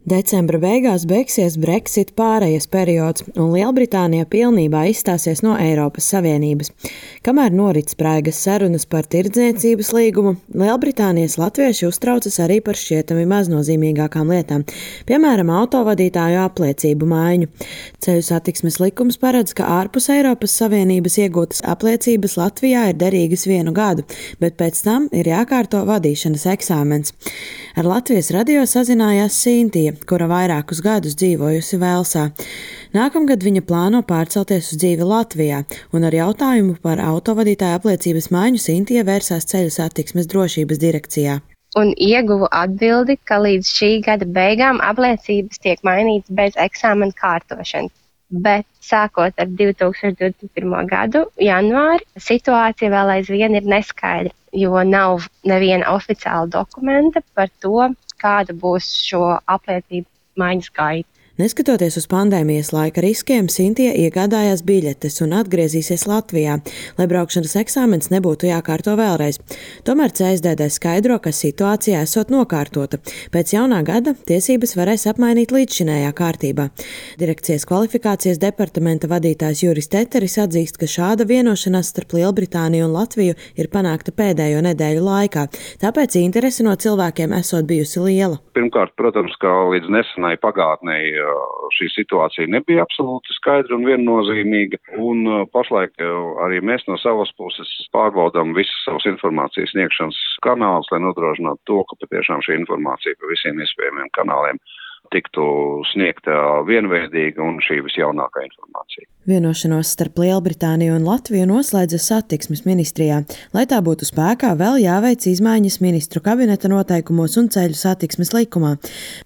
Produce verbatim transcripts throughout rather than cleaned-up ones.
Decembra beigās beigsies Brexit pārejas periods, un Lielbritānija pilnībā izstāsies no Eiropas Savienības. Kamēr norit spraigas sarunas par tirdzniecības līgumu, Lielbritānijas latvieši uztraucas arī par šķietami maznozīmīgākām lietām, piemēram, autovadītāju apliecību maiņu. Ceļu satiksmes likums paredz, ka ārpus Eiropas Savienības iegūtas apliecības Latvijā ir derīgas vienu gadu, bet pēc tam ir jākārto vadīšanas eksāmens. Ar Latvijas radio sazinājās Sintija, kura vairākus gadus dzīvojusi Velsā. Nākamgad viņa plāno pārcelties uz dzīvi Latvijā, un ar jautājumu par autovadītāja apliecības maiņu Sintija vērsās Ceļu satiksmes drošības direkcijā. Un ieguvu atbildi, ka līdz šī gada beigām apliecības tiek mainītas bez eksāmena kārtošanas. Bet sākot ar divi tūkstoši divdesmit pirmo gadu janvāri, situācija vēl aizvien ir neskaidra, jo nav neviena oficiāla dokumenta par to, kāda būs šo apliecību maiņas gaita. Neskatoties uz pandēmijas laika riskiem, Sintija iegādājās biļetes un atgriezīsies Latvijā, lai braukšanas eksāmens nebūtu jākārto vēlreiz. Tomēr C S D D skaidro, ka situācija esot nokārtota. Pēc jaunā gada tiesības varēs apmainīt līdzšinējā kārtībā. Direkcijas kvalifikācijas departamenta vadītājs Juris Teteris atzīst, ka šāda vienošanās starp Lielbritāniju un Latviju ir panākta pēdējo nedēļu laikā, tāpēc interese no cilvēkiem esot bijusi liela. Pirmkārt, protams, ka līdz nesenai pagātnei šī situācija nebija absolūti skaidra un viennozīmīga, un pašlaik arī mēs no savas puses pārbaudām visas savas informācijas sniegšanas kanālus, lai nodrošinātu to, ka patiešām šī informācija pa visiem iespējamiem kanāliem tiktu sniegta vienveidīga un šī visjaunākā informācija. Vienošanos starp Lielbritāniju un Latviju noslēdza satiksmes ministrijā. Lai tā būtu spēkā, vēl jāveic izmaiņas ministru kabineta noteikumos un ceļu satiksmes likumā.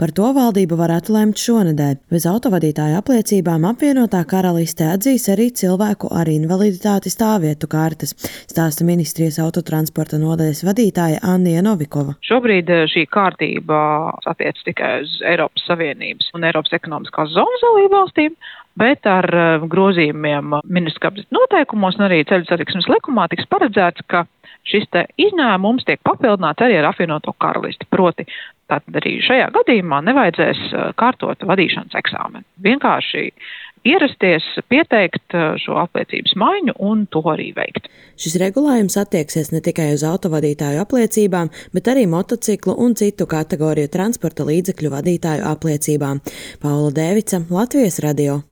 Par to valdība varētu lemt šonedēļ. Bez autovadītāju apliecībām apvienotā karaliste atzīs arī cilvēku ar invaliditāti stāvvietu kartes, stāsta ministrijas autotransporta nodaļas vadītāja Annija Novikova. Šobrīd šī kārtība attiec tikai uz Eiropas Savienības un Eiropas ekonomiskās zonas dalībvalstīm, bet ar grozījumiem ministru kabineta noteikumos un arī ceļu satiksmes likumā tiks paredzēts, ka šis te izņēmums tiek papildināts arī ar apvienoto karalisti. Proti, tātad arī šajā gadījumā nevajadzēs kārtot vadīšanas eksāmenu. Vienkārši ierasties, pieteikt šo apliecības maiņu un to arī veikt. Šis regulējums attieksies ne tikai uz autovadītāju apliecībām, bet arī motociklu un citu kategoriju transporta līdzekļu vadītāju apliecībām. Paula Dēvica, Latvijas radio.